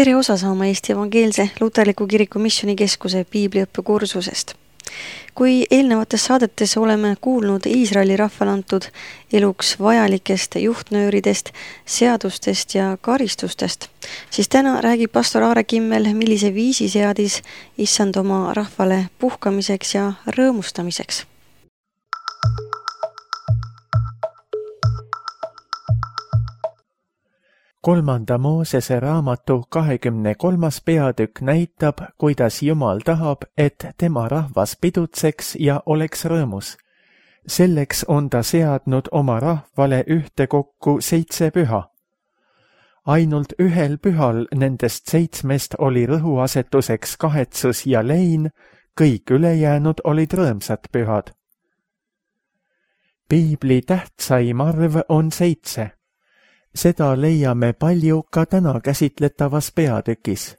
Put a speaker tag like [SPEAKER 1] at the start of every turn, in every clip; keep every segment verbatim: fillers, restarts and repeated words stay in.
[SPEAKER 1] Tere osa saama Eesti Evangeelse Luterliku Kiriku Missioonikeskuse piibliõppekursusest. Kui eelnevates saadetes oleme kuulnud Iisraeli rahvale antud eluks vajalikest juhtnööridest, seadustest ja karistustest, siis täna räägib pastor Aare Kimmel, millise viisi seadis Issand oma rahvale puhkamiseks ja rõõmustamiseks.
[SPEAKER 2] Kolmanda Moosese raamatu kahekümne kolmas peatükk näitab, kuidas Jumal tahab, et tema rahvas pidutseks ja oleks rõõmus. Selleks on ta seadnud oma rahvale ühtekokku seitse püha. Ainult ühel pühal nendest seitsmest oli rõhuasetuseks kahetsus ja lein, kõik ülejäänud olid rõõmsad pühad. Piibli tähtsaim arv on seitse. Seda leiame palju ka täna käsitletavas peatükis.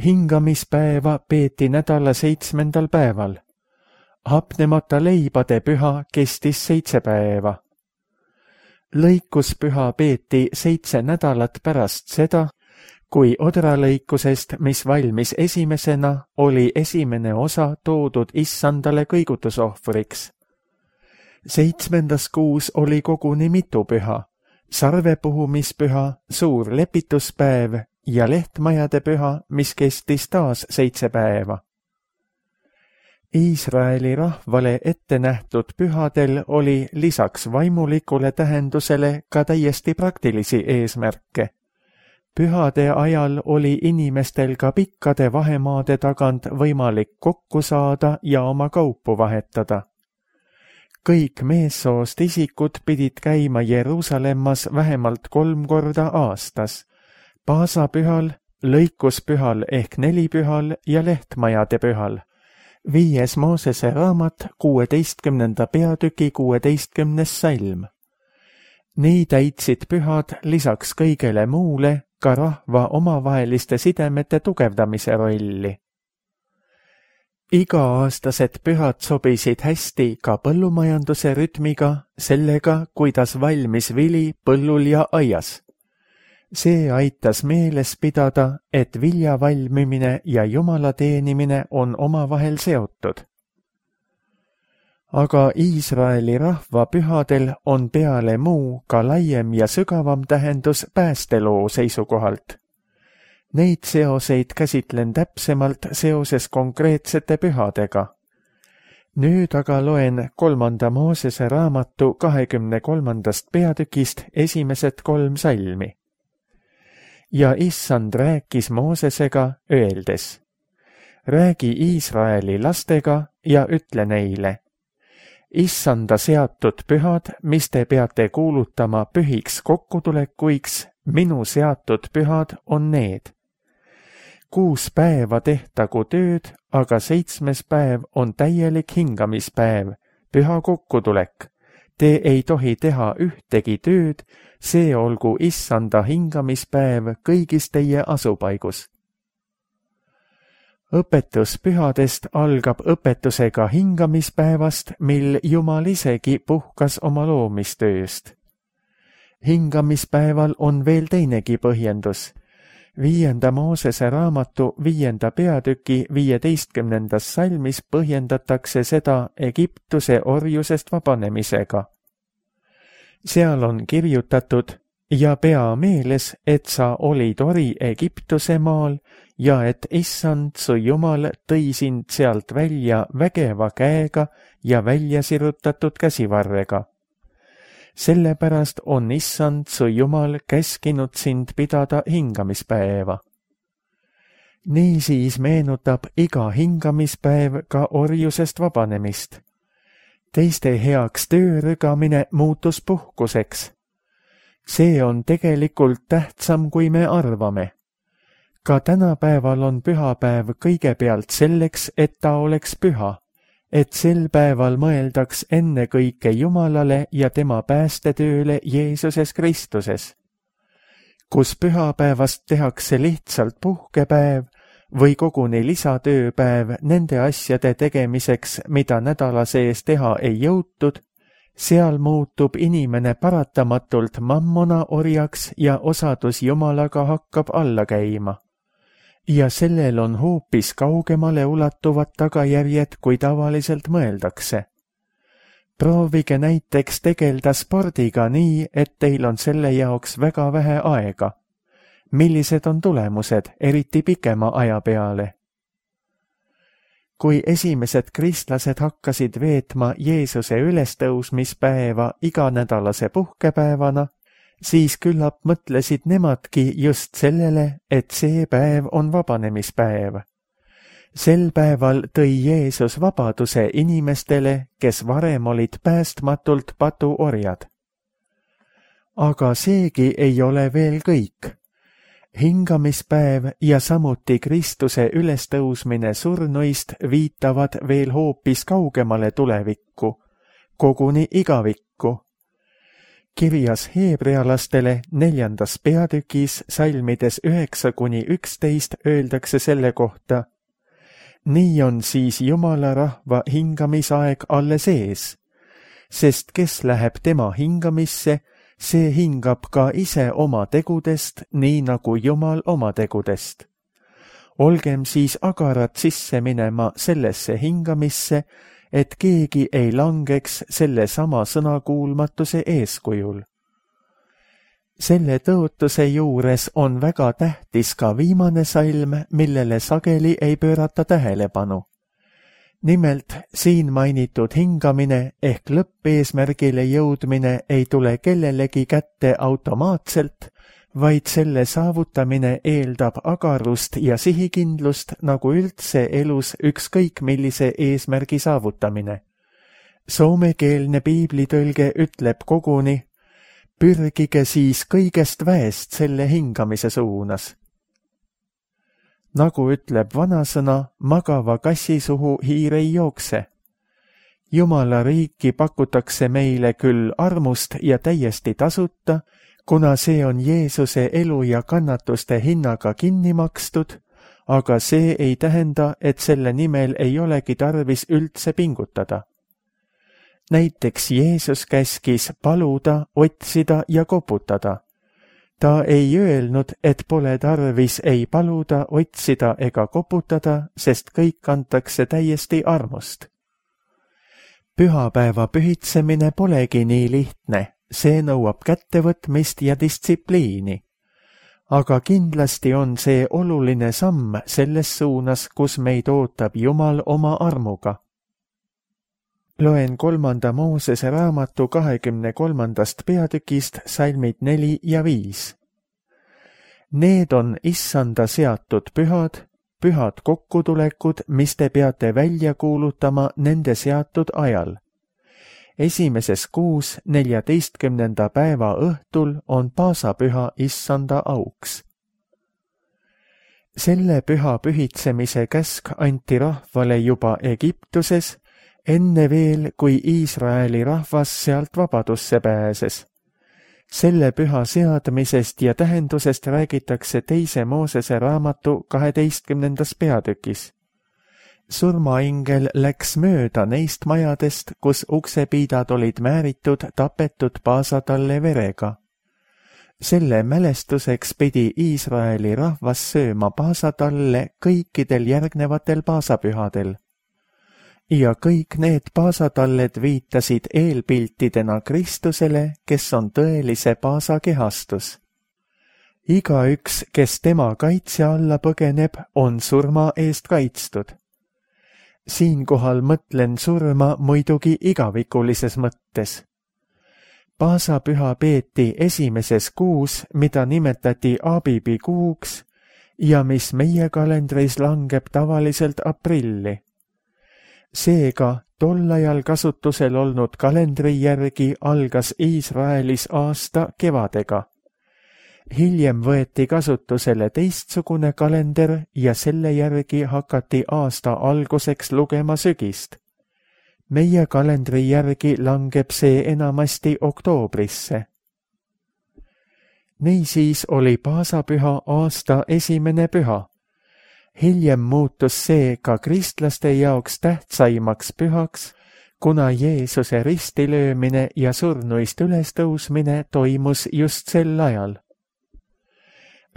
[SPEAKER 2] Hingamispäeva peeti nädala seitsmendal päeval. Hapnemata leibade püha kestis seitse päeva. Lõikuspüha peeti seitse nädalat pärast seda, kui odralõikusest, mis valmis esimesena, oli esimene osa toodud Issandale kõigutusohvriks. Seitsmendas kuus oli koguni mitu püha. Sarvepuhumispüha, suur lepituspäev ja lehtmajade püha, mis kestis taas seitse päeva. Iisraeli rahvale ette nähtud pühadel oli lisaks vaimulikule tähendusele ka täiesti praktilisi eesmärke. Pühade ajal oli inimestel ka pikkade vahemaade tagant võimalik kokku saada ja oma kaupu vahetada. Kõik meessoost isikud pidid käima Jeruusalemmas vähemalt kolm korda aastas, paasapühal, lõikuspühal ehk nelipühal ja lehtmajade pühal. Viies Moosese raamat, kuueteistkümnenda peatüki kuueteistkümnes salm. Nii täitsid pühad lisaks kõigele muule ka rahva omavaheliste sidemete tugevdamise rolli. Iga-aastased pühad sobisid hästi ka põllumajanduse rütmiga, sellega, kuidas valmis vili põllul ja aias. See aitas meeles pidada, et vilja valmimine ja Jumala teenimine on omavahel seotud. Aga Iisraeli rahva pühadel on peale muu ka laiem ja sügavam tähendus päästeloo seisukohalt. Neid seoseid käsitlen täpsemalt seoses konkreetsete pühadega. Nüüd aga loen kolmanda Moosese raamatu kahekümne kolmandast peatükist esimesed kolm salmi. Ja Issand rääkis Moosesega öeldes: Räägi Iisraeli lastega ja ütle neile: Issanda seatud pühad, mis te peate kuulutama pühiks kokkutulekuiks, minu seatud pühad on need. Kuus päeva tehtagu tööd, aga seitsmes päev on täielik hingamispäev, püha kokkutulek. Te ei tohi teha ühtegi tööd, see olgu Issanda hingamispäev kõigis teie asupaigus. Õpetus pühadest algab õpetusega hingamispäevast, mil Jumal isegi puhkas oma loomistööst. Hingamispäeval on veel teinegi põhjendus. Viienda Moosese raamatu viienda peatüki viieteistkümnendas salmis põhjendatakse seda Egiptuse orjusest vabanemisega. Seal on kirjutatud: ja pea meeles, et sa olid ori Egiptuse maal ja et Issand su Jumal tõi sind sealt välja vägeva käega ja välja sirutatud käsivarrega. Sellepärast on Issand su Jumal käskinud sind pidada hingamispäeva. Niisiis meenutab iga hingamispäev ka orjusest vabanemist. Teiste heaks töörügamine muutus puhkuseks. See on tegelikult tähtsam, kui me arvame. Ka tänapäeval on pühapäev kõigepealt selleks, et ta oleks püha, et sel päeval mõeldaks ennekõike Jumalale ja tema päästetööle Jeesuses Kristuses. Kus pühapäevast tehakse lihtsalt puhkepäev või koguni lisatööpäev nende asjade tegemiseks, mida nädala sees teha ei jõutud, seal muutub inimene paratamatult mammona orjaks ja osadus Jumalaga hakkab alla käima. ja sellel on hoopis kaugemale ulatuvad tagajärjed, kui tavaliselt mõeldakse. Proovige näiteks tegelda spordiga nii, et teil on selle jaoks väga vähe aega. Millised on tulemused, eriti pikema aja peale? Kui esimesed kristlased hakkasid veetma Jeesuse ülestõusmispäeva iganädalase puhkepäevana, siis küllap mõtlesid nemadki just sellele, et see päev on vabanemispäev. Sel päeval tõi Jeesus vabaduse inimestele, kes varem olid päästmatult patuorjad. Aga seegi ei ole veel kõik. Hingamispäev ja samuti Kristuse ülestõusmine surnuist viitavad veel hoopis kaugemale tulevikku, koguni igavikku. Kirjas heebrealastele neljandas peatükis salmides üheksa kuni üksteist öeldakse selle kohta: nii on siis Jumala rahva hingamisaeg alles ees, sest kes läheb tema hingamisse, see hingab ka ise oma tegudest, nii nagu Jumal oma tegudest. Olgem siis agarad sisse minema sellesse hingamisse, et keegi ei langeks selle sama sõnakuulmatuse eeskujul. Selle tõotuse juures on väga tähtis ka viimane salm, millele sageli ei pöörata tähelepanu. Nimelt, siin mainitud hingamine ehk lõppeesmärgile jõudmine ei tule kellelegi kätte automaatselt, vaid selle saavutamine eeldab agarust ja sihikindlust nagu üldse elus ükskõik millise eesmärgi saavutamine. Soomekeelne piiblitõlge ütleb koguni: pürgige siis kõigest väest selle hingamise suunas. Nagu ütleb vanasõna, magava kassi suhu hiir ei jookse. Jumala riiki pakutakse meile küll armust ja täiesti tasuta, kuna see on Jeesuse elu ja kannatuste hinnaga kinni makstud, aga see ei tähenda, et selle nimel ei olegi tarvis üldse pingutada. Näiteks Jeesus käskis paluda, otsida ja koputada. Ta ei öelnud, et pole tarvis ei paluda, otsida ega koputada, sest kõik antakse täiesti armust. Pühapäeva pühitsemine polegi nii lihtne, see nõuab kättevõtmist ja distsipliini. Aga kindlasti on see oluline samm selles suunas, kus meid ootab Jumal oma armuga. Loen kolmanda Moosese raamatu kahekümne kolmandast peatükist salmid neli ja viis. Need on issanda seatud pühad, pühad kokkutulekud, mis te peate välja kuulutama nende seatud ajal. Esimeses kuus neljateistkümnenda päeva õhtul on paasapüha issanda auks. Selle püha pühitsemise käsk anti rahvale juba Egiptuses, enne veel, kui Iisraeli rahvas sealt vabadusse pääses. Selle püha seadmisest ja tähendusest räägitakse teise Moosese raamatu kaheteistkümnendas peatükis. Surmaingel läks mööda neist majadest, kus uksepiidad olid määritud tapetud paasatalle verega. Selle mälestuseks pidi Iisraeli rahvas sööma paasatalle kõikidel järgnevatel paasapühadel. Ja kõik need paasatalled viitasid eelpiltidena Kristusele, kes on tõelise paasa kehastus. Igaüks, kes tema kaitse alla põgeneb, on surma eest kaitstud. Siinkohal mõtlen surma muidugi igavikulises mõttes. Paasapüha peeti esimeses kuus, mida nimetati Abibi kuuks ja mis meie kalendris langeb tavaliselt aprilli. Seega, tol ajal kasutusel olnud kalendri järgi algas Iisraelis aasta kevadega. Hiljem võeti kasutusele teistsugune kalender ja selle järgi hakati aasta alguseks lugema sügist. Meie kalendri järgi langeb see enamasti oktoobrisse. Niisiis oli paasapüha aasta esimene püha. Hiljem muutus see ka kristlaste jaoks tähtsaimaks pühaks, kuna Jeesuse ristilöömine ja surnuist ülestõusmine toimus just sel ajal.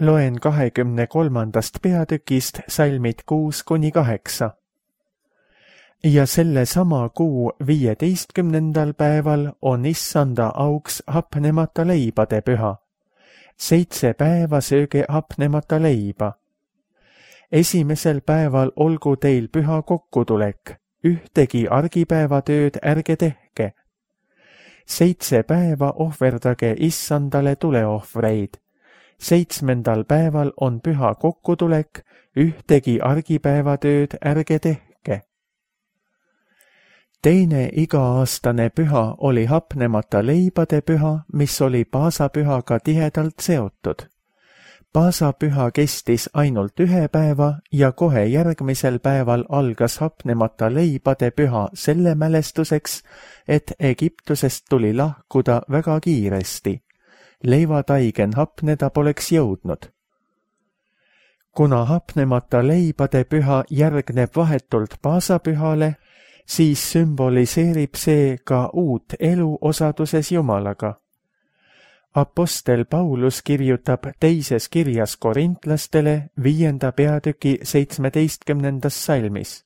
[SPEAKER 2] Loen kahekümne kolmandast peatükist salmid kuus kuni kaheksa. Ja selle sama kuu viieteistkümnendal päeval on issanda auks hapnemata leibade püha. Seitse päeva sööge hapnemata leiba. Esimesel päeval olgu teil püha kokkutulek, ühtegi argipäevatööd ärge tehke. Seitse päeva ohverdage issandale tuleohvreid. Seitsmendal päeval on püha kokkutulek, ühtegi argipäevatööd ärge tehke. Teine iga-aastane püha oli hapnemata leibade püha, mis oli paasapühaga tihedalt seotud. Paasapüha kestis ainult ühe päeva ja kohe järgmisel päeval algas hapnemata leibade püha selle mälestuseks, et Egiptusest tuli lahkuda väga kiiresti. Leivataigen hapneda poleks jõudnud. Kuna hapnemata leibade püha järgneb vahetult paasapühale, siis sümboliseerib see ka uut elu osaduses Jumalaga. Apostel Paulus kirjutab teises kirjas korintlastele viienda peatüki seitsmeteistkümnendas salmis.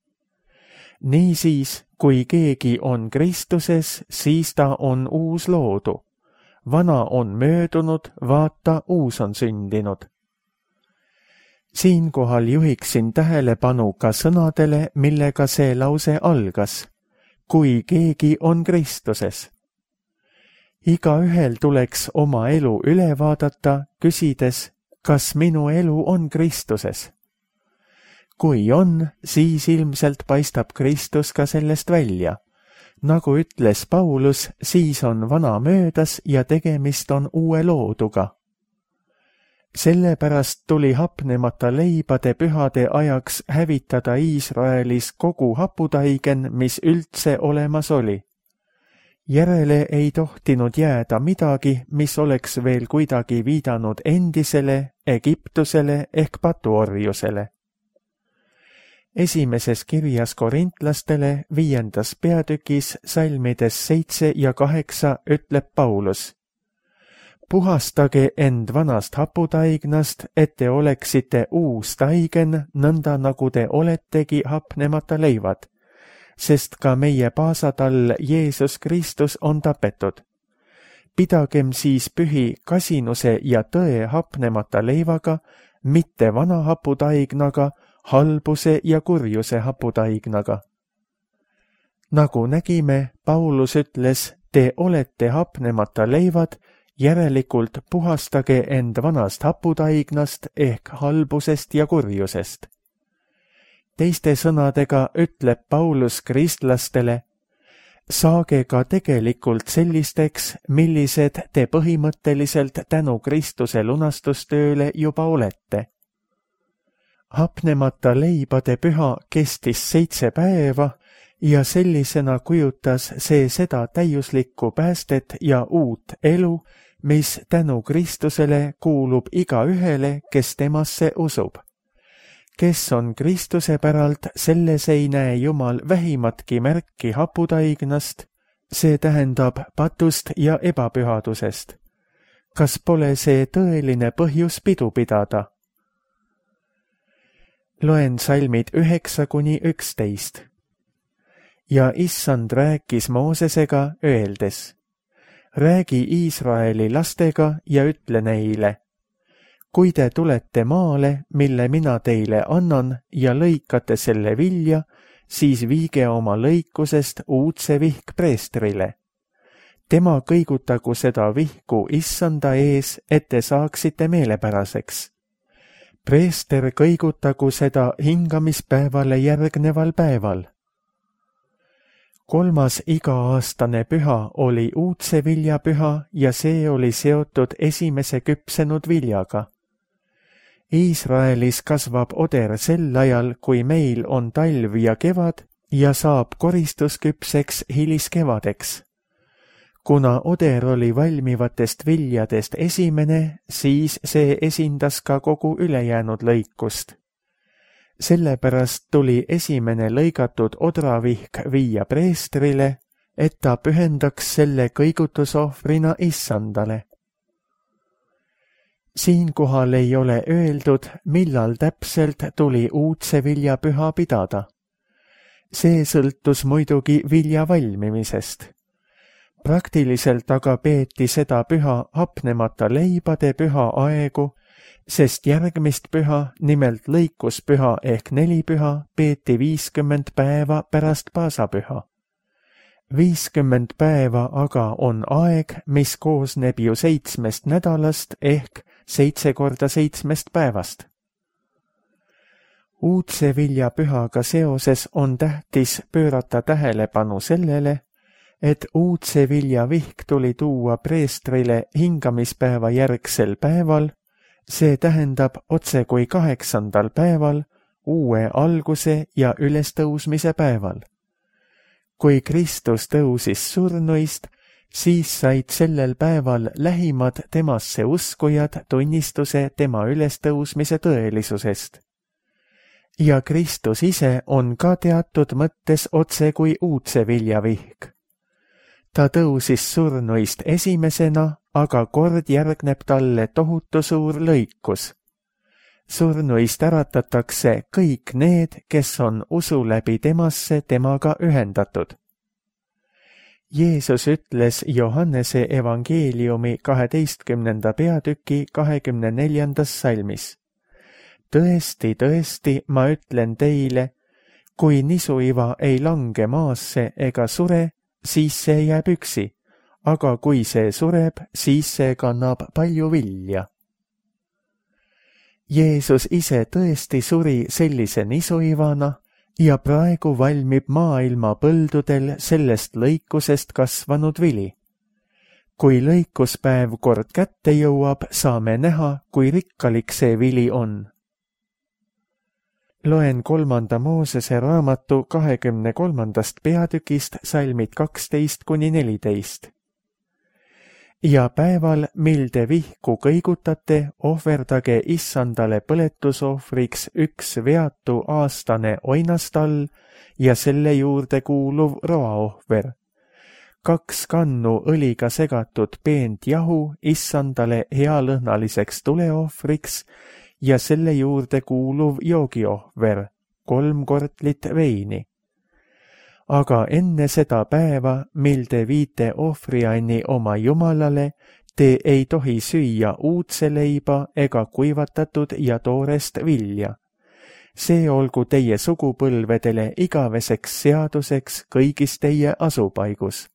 [SPEAKER 2] Niisiis, kui keegi on Kristuses, siis ta on uus loodu. Vana on möödunud, vaata, uus on sündinud. Siinkohal juhiksin tähelepanu ka sõnadele, millega see lause algas. Kui keegi on Kristuses. Igaühel tuleks oma elu üle vaadata, küsides, kas minu elu on Kristuses. Kui on, siis ilmselt paistab Kristus ka sellest välja. Nagu ütles Paulus, siis on vana möödas ja tegemist on uue looduga. Sellepärast tuli hapnemata leibade pühade ajaks hävitada Iisraelis kogu haputaigen, mis üldse olemas oli. Järele ei tohtinud jääda midagi, mis oleks veel kuidagi viidanud endisele Egiptusele ehk patuorjusele. Esimeses kirjas korintlastele viiendas peatükis salmides seitse ja kaheksa ütleb Paulus. Puhastage end vanast haputaignast, et te oleksite uus taigen, nõnda nagu te oletegi hapnemata leivad, sest ka meie paasatall Jeesus Kristus on tapetud. Pidagem siis pühi kasinuse ja tõe hapnemata leivaga, mitte vana haputaignaga, halbuse ja kurjuse haputaignaga. Nagu nägime, Paulus ütles, te olete hapnemata leivad, järelikult puhastage end vanast haputaignast ehk halbusest ja kurjusest. Teiste sõnadega ütleb Paulus kristlastele, saage ka tegelikult sellisteks, millised te põhimõtteliselt tänu Kristuse lunastustööle juba olete. Hapnemata leibade püha kestis seitse päeva ja sellisena kujutas see seda täiuslikku päästet ja uut elu, mis tänu Kristusele kuulub igaühele, kes temasse usub. Kes on Kristuse päralt, selles ei näe Jumal vähimatki märki haputaignast, see tähendab patust ja ebapühadusest. Kas pole see tõeline põhjus pidu pidada? Loen salmid üheksa kuni üksteist. Ja issand rääkis Moosesega öeldes, räägi Iisraeli lastega ja ütle neile, kui te tulete maale, mille mina teile annan ja lõikate selle vilja, siis viige oma lõikusest uudse vihk preestrile. Tema kõigutagu seda vihku issanda ees, et te saaksite meelepäraseks. Preester kõigutagu seda hingamispäevale järgneval päeval. Kolmas iga-aastane püha oli uudse vilja püha ja see oli seotud esimese küpsenud viljaga. Iisraelis kasvab oder sel ajal, kui meil on talv ja kevad ja saab koristusküpseks hiliskevadeks. Kuna oder oli valmivatest viljadest esimene, siis see esindas ka kogu ülejäänud lõikust. Sellepärast tuli esimene lõigatud odravihk viia preestrile, et ta pühendaks selle kõigutusohvrina issandale. Siinkohal ei ole öeldud, millal täpselt tuli uudsevilja püha pidada. See sõltus muidugi vilja valmimisest. Praktiliselt aga peeti seda püha hapnemata leibade püha aegu, sest järgmist püha, nimelt lõikuspüha ehk nelipüha, peeti viiskümmend päeva pärast paasapüha. viiskümmend päeva aga on aeg, mis koosneb ju seitsmest nädalast ehk seitse korda seitsmest päevast. Uudsevilja pühaga seoses on tähtis pöörata tähelepanu sellele, et uudsevilja vihk tuli tuua preestrile hingamispäeva järgsel päeval, see tähendab otse kui kaheksandal päeval, uue alguse ja ülestõusmise päeval. Kui Kristus tõusis surnuist, siis said sellel päeval lähimad temasse uskujad tunnistuse tema ülestõusmise tõelisusest. Ja Kristus ise on ka teatud mõttes otse kui uudsevilja vihk. Ta tõusis surnuist esimesena, aga kord järgneb talle tohutu suur lõikus. Surnuist äratatakse kõik need, kes on usu läbi temasse temaga ühendatud. Jeesus ütles Johannese evangeeliumi kaheteistkümnenda peatüki kahekümne neljandas salmis. Tõesti, tõesti, ma ütlen teile, kui nisuiva ei lange maasse ega sure, siis see jääb üksi, aga kui see sureb, siis see kannab palju vilja. Jeesus ise tõesti suri sellise nisuivana ja praegu valmib maailma põldudel sellest lõikusest kasvanud vili. Kui lõikuspäev kord kätte jõuab, saame näha, kui rikkalik see vili on. Loen kolmanda Moosese raamatu kahekümne kolmandast peatükist salmid kaksteist kuni neliteist. Ja päeval, mil te vihku kõigutate, ohverdage issandale põletusohvriks üks veatu aastane oinastall ja selle juurde kuuluv roaohver. Kaks kannu õliga segatud peent jahu issandale healõhnaliseks tuleohvriks ja selle juurde kuuluv joogiohver, kolm kortlit veini. Aga enne seda päeva, mil te viite ohvrianni oma Jumalale, te ei tohi süüa uudse leiba ega kuivatatud ja toorest vilja. See olgu teie sugupõlvedele igaveseks seaduseks kõigis teie asupaigus.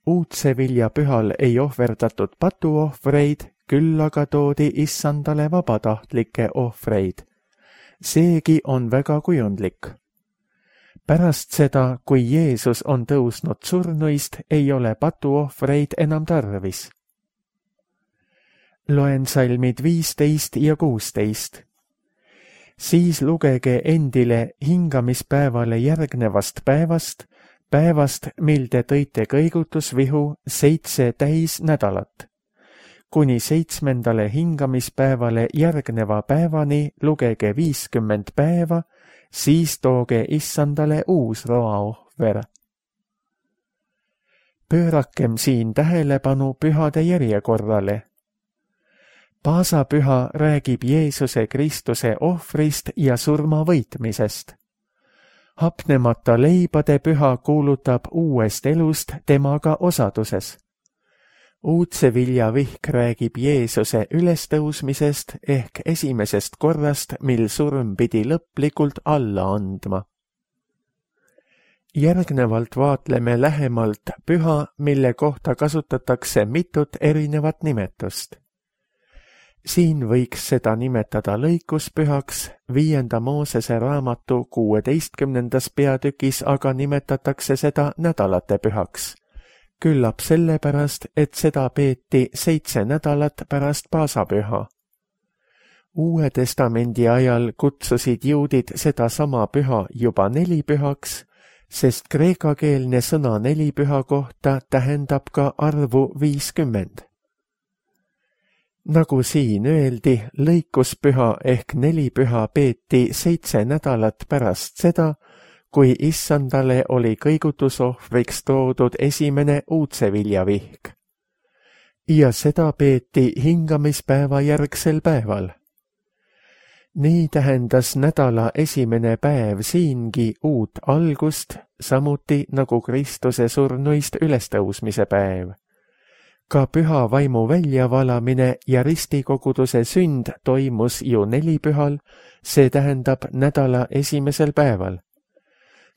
[SPEAKER 2] Uudse vilja pühal ei ohverdatud patuohvreid, küll aga toodi issandale vabatahtlikke ohvreid. Seegi on väga kujundlik. Pärast seda, kui Jeesus on tõusnud surnuist, ei ole patuohvreid enam tarvis. Loen salmid viisteist ja kuusteist. Siis lugege endile hingamispäevale järgnevast päevast, päevast, mil te tõite kõigutusvihu seitse täis nädalat. Kuni seitsmendale hingamispäevale järgneva päevani lugege viiskümmend päeva, siis tooge issandale uus roaohver. Pöörakem siin tähelepanu pühade järjekorrale. Paasapüha räägib Jeesuse Kristuse ohvrist ja surma võitmisest. Hapnemata leibade püha kuulutab uuest elust temaga osaduses. Uudsevilja vihk räägib Jeesuse ülestõusmisest ehk esimesest korrast, mil surm pidi lõplikult alla andma. Järgnevalt vaatleme lähemalt püha, mille kohta kasutatakse mitut erinevat nimetust. Siin võiks seda nimetada lõikuspühaks, viienda Moosese raamatu kuueteistkümnendas peatükis aga nimetatakse seda nädalate pühaks. Küllap sellepärast, et seda peeti seitse nädalat pärast paasapüha. Uue testamendi ajal kutsusid juudid seda sama püha juba nelipühaks, sest kreekakeelne sõna nelipüha kohta tähendab ka arvu viiskümmend. Nagu siin öeldi, lõikuspüha ehk nelipüha peeti seitse nädalat pärast seda, kui issandale oli kõigutusohvriks toodud esimene uudseviljavihk. ja seda peeti hingamispäeva järgsel päeval. Nii tähendas nädala esimene päev siingi uut algust, samuti nagu Kristuse surnuist ülestõusmise päev. Ka püha vaimu väljavalamine ja ristikoguduse sünd toimus ju nelipühal, see tähendab nädala esimesel päeval.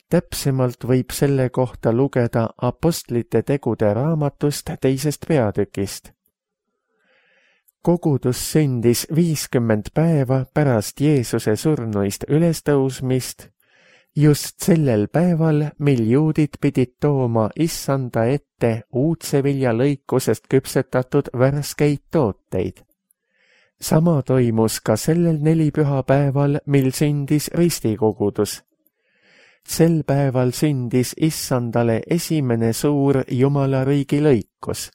[SPEAKER 2] Täpsemalt võib selle kohta lugeda apostlite tegude raamatust teisest peatükist. Kogudus sündis viiskümmend päeva pärast Jeesuse surnuist ülestõusmist, just sellel päeval, mil juudid pidid tooma issanda ette uudsevilja lõikusest küpsetatud värskeid tooteid. Sama toimus ka sellel nelipühapäeval, mil sündis ristikogudus. Sel päeval sündis issandale esimene suur Jumalariigi lõikus.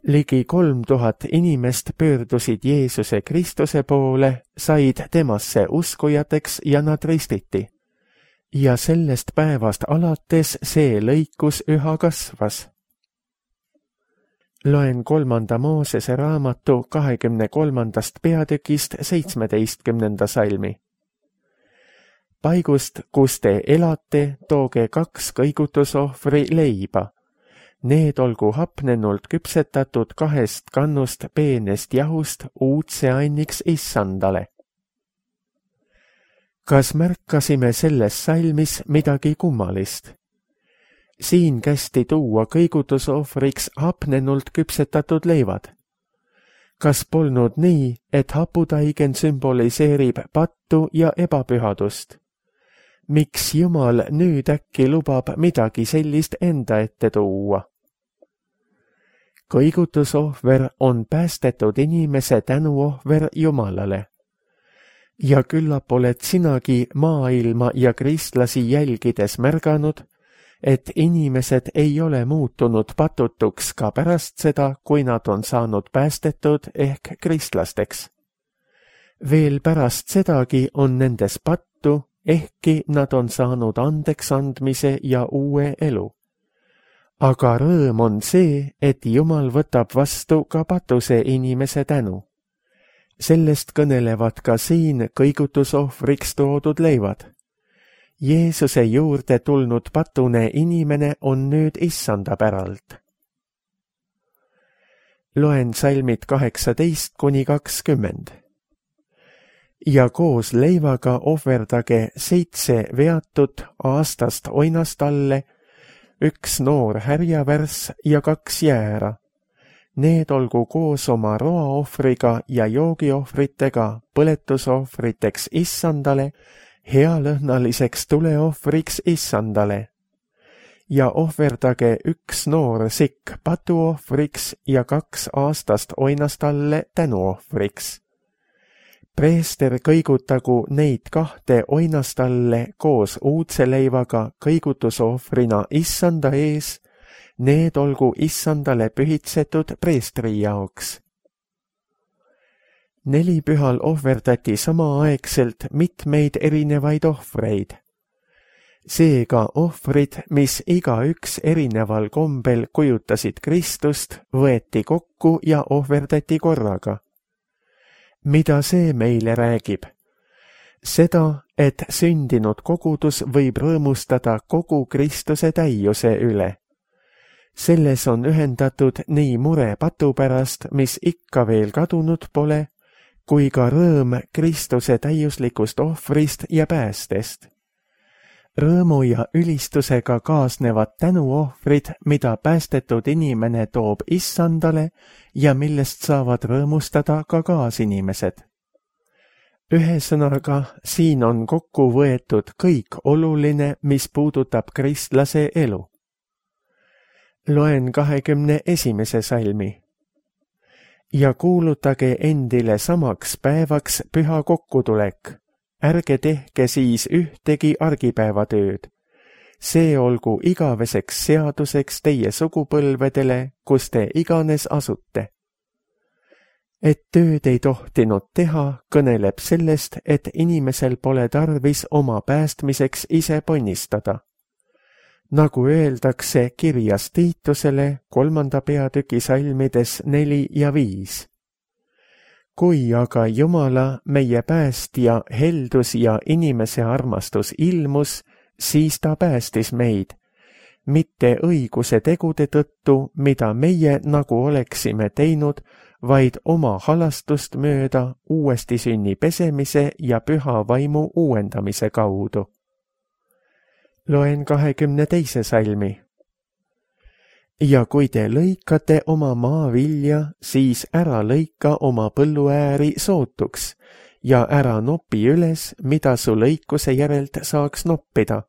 [SPEAKER 2] Ligi kolm tuhat inimest pöördusid Jeesuse Kristuse poole, said temasse uskujateks ja nad ristiti. Ja sellest päevast alates see lõikus üha kasvas. Loen kolmanda Moosese raamatu kahekümne kolmandast peatükist seitsmeteistkümnenda salmi. Paigust, kus te elate, tooge kaks kõigutusohvri leiba. Need olgu hapnenult küpsetatud kahest kannust peenest jahust uudse anniks issandale. Kas märkasime selles salmis midagi kummalist? Siin kästi tuua kõigutusohvriks hapnenult küpsetatud leivad. Kas polnud nii, et haputaigen sümboliseerib pattu ja ebapühadust? Miks Jumal nüüd äkki lubab midagi sellist enda ette tuua? Kõigutusohver on päästetud inimese tänuohver Jumalale. Ja küllap oled sinagi maailma ja kristlasi jälgides märganud, et inimesed ei ole muutunud patutuks ka pärast seda, kui nad on saanud päästetud ehk kristlasteks. Veel pärast sedagi on nendes pattu, ehkki nad on saanud andeks andmise ja uue elu. Aga rõõm on see, et Jumal võtab vastu ka patuse inimese tänu. Sellest kõnelevad ka siin kõigutusohvriks toodud leivad. Jeesuse juurde tulnud patune inimene on nüüd issanda päralt. Loen salmid kaheksateist kuni kakskümmend. Ja koos leivaga ohverdage seitse veatut aastast oinastalle, üks noor härjavärss ja kaks jäära. Need olgu koos oma roaohvriga ja joogiohvritega põletusohvriteks issandale, healõhnaliseks tuleohvriks issandale. Ja ohverdage üks noor sikk patuohvriks ja kaks aastast oinastalle tänuohvriks. Preester kõigutagu neid kahte oinastalle koos uudse leivaga kõigutusohvrina issanda ees, need olgu issandale pühitsetud preestri jaoks. Nelipühal ohverdati samaaegselt mitmeid erinevaid ohvreid. Seega ohvrid, mis igaüks erineval kombel kujutasid Kristust, võeti kokku ja ohverdati korraga. Mida see meile räägib? Seda, et sündinud kogudus võib rõõmustada kogu Kristuse täiuse üle. Selles on ühendatud nii mure patu pärast, mis ikka veel kadunud pole, kui ka rõõm Kristuse täiuslikust ohvrist ja päästest. Rõõmu ja ülistusega kaasnevad tänuohvrid, mida päästetud inimene toob issandale ja millest saavad rõõmustada ka kaasinimesed. Ühesõnaga, siin on kokku võetud kõik oluline, mis puudutab kristlase elu. Loen kahekümne esimese salmi. Ja kuulutage endile samaks päevaks püha kokkutulek. Ärge tehke siis ühtegi argipäevatööd. See olgu igaveseks seaduseks teie sugupõlvedele, kus te iganes asute. Et tööd ei tohtinud teha, kõneleb sellest, et inimesel pole tarvis oma päästmiseks ise ponnistada. nagu öeldakse kirjas Tiitusele kolmanda peatüki salmides neli ja viis. Kui aga Jumala, meie päästja, heldus ja inimese armastus ilmus, siis ta päästis meid, mitte õiguse tegude tõttu, mida meie nagu oleksime teinud, vaid oma halastust mööda uuesti sünni pesemise ja püha vaimu uuendamise kaudu. Loen kahekümne teise salmi. Ja kui te lõikate oma maavilja, siis ära lõika oma põlluääri sootuks ja ära nopi üles, mida su lõikuse järelt saaks noppida.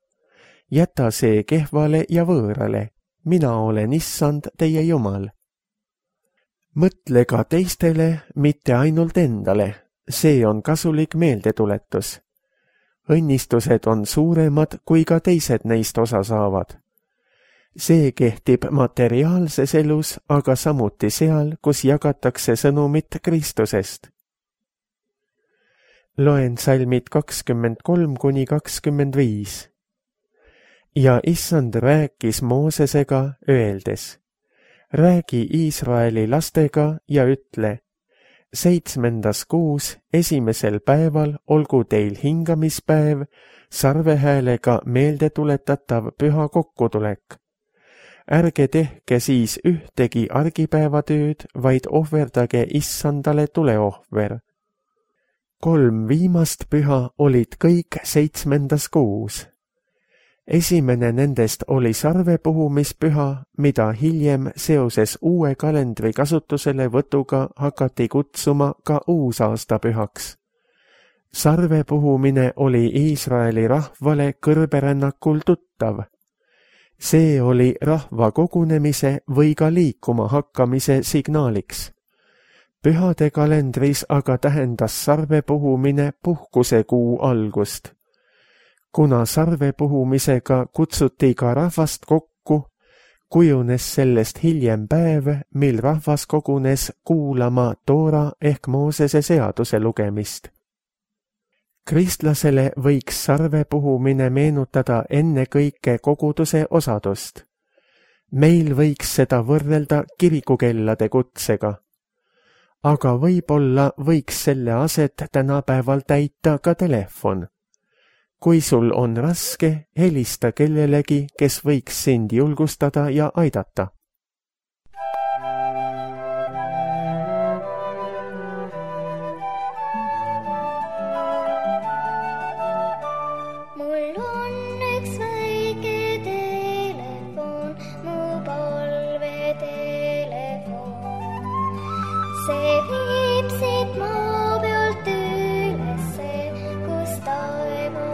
[SPEAKER 2] Jäta see kehvale ja võõrale, mina olen issand teie Jumal. Mõtle ka teistele, mitte ainult endale, see on kasulik meeldetuletus. Õnnistused on suuremad, kui ka teised neist osa saavad. See kehtib materiaalses elus, aga samuti seal, kus jagatakse sõnumit Kristusest. Loen salmid kakskümmend kolm kuni kakskümmend viis. Ja issand rääkis Moosesega, öeldes, räägi Iisraeli lastega ja ütle, seitsmendas kuus esimesel päeval olgu teil hingamispäev, sarvehäälega meeldetuletav püha kokkutulek. Ärge tehke siis ühtegi argipäevatööd, vaid ohverdage issandale tuleohver. Kolm viimast püha olid kõik seitsmendas kuus. Esimene nendest oli sarvepuhumispüha, mida hiljem seoses uue kalendri kasutusele võtuga hakati kutsuma ka uusaastapühaks. Sarvepuhumine oli Iisraeli rahvale kõrberännakul tuttav. See oli rahva kogunemise või ka liikuma hakkamise signaaliks. Pühade kalendris aga tähendas sarvepuhumine puhkusekuu algust. Kuna sarvepuhumisega kutsuti ka rahvast kokku, kujunes sellest hiljem päev, mil rahvas kogunes kuulama Toora ehk Moosese seaduse lugemist. Kristlasele võiks sarvepuhumine meenutada ennekõike koguduse osadust. Meil võiks seda võrrelda kirikukellade kutsega. Aga võib-olla võiks selle aset tänapäeval täita ka telefon. Kui sul on raske, helista kellelegi, kes võiks sind julgustada ja aidata.
[SPEAKER 3] Mul on üks väike telefon, mu palvetelefon. See viib siit maa pealt ülesse, kus taeva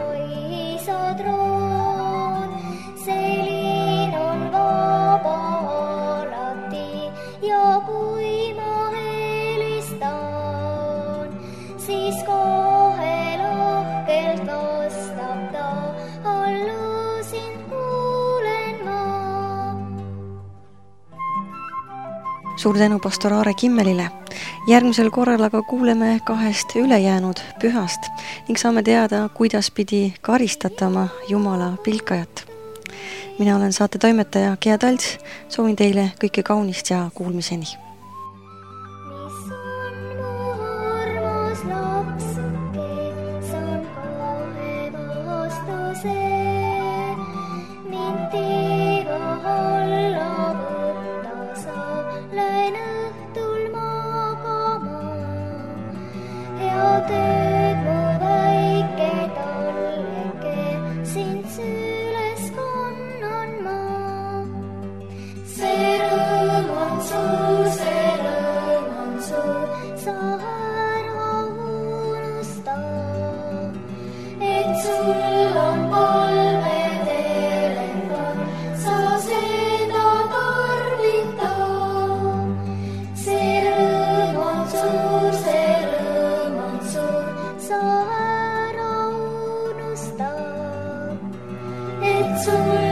[SPEAKER 3] troon. See liin on vaba alati ja kui ma helistan, siis kohe lahkelt vastab ta, hallo sind kuulen ma.
[SPEAKER 1] Suur tänu pastor Aare Kimmelile. Järgmisel korral aga kuuleme kahest ülejäänud pühast ning saame teada, kuidas pidi karistatama Jumala pilkajat. Mina olen saate toimetaja Gea Talts, soovin teile kõike kaunist ja kuulmiseni.
[SPEAKER 3] Mis on mu armas lapsuke, saan kohe vastuse. Mind tiiva alla võtta sa, lähen õhtul magama. Hea tööd mu väike talleke, sind süles kannan ma. See rõõm on suur, see rõõm on suur, sa ära unusta, et sul on palvetelefon, sa seda tarvita. See rõõm on suur, see rõõm on suur, sa ära unusta, et sul